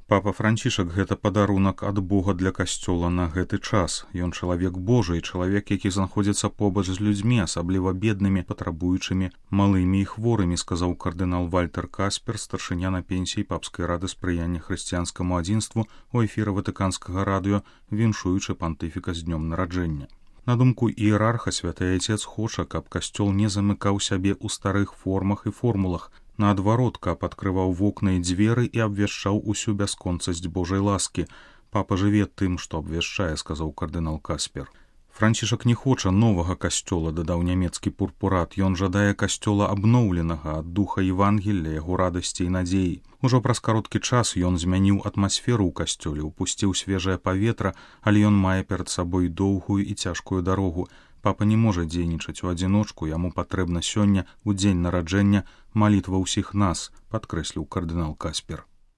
Папа Францішак гэта падарунак ад Бога для касцёла на гэты час. Ён чалавек Божы, чалавек, які знаходзіцца побач з людзьмі, асабліва беднымі, патрабуючымі, малымі і хворымі, сказаў кардынал Вальтер Каспер, старшыня на пенсіі папскай рады спрыяння хрысціянскаму адзінству у эфіры ватыканскага радыё, віншуючы пантыфіка з днём нараджэння. На думку іерарха, святы Айцец хоча, каб касцёл не замыкаў сябе ў старых формах і формулах, наадварот, каб адкрываў вокны і дзверы і абвяшчаў усю бясконцасць Божай ласкі. Папа жыве тым, што абвяшчае, сказаў кардынал Каспер. Францішак не хоча новага касцёла, дадаў нямецкі пурпурат. Ён жадае касцёла абноўленага ад духа Евангелля, яго радасці і надзеі. Ужо праз кароткі час ён змяніў атмасферу ў касцёле, упусціў свежае паветра, але ён мае перад сабой доўгую і цяжкую дарогу. Папа не можа дзейнічаць у адзіночку, яму патрэбна сёння, у дзень нараджэння, малітва ўсіх нас, падкрэсліў кардынал Каспер.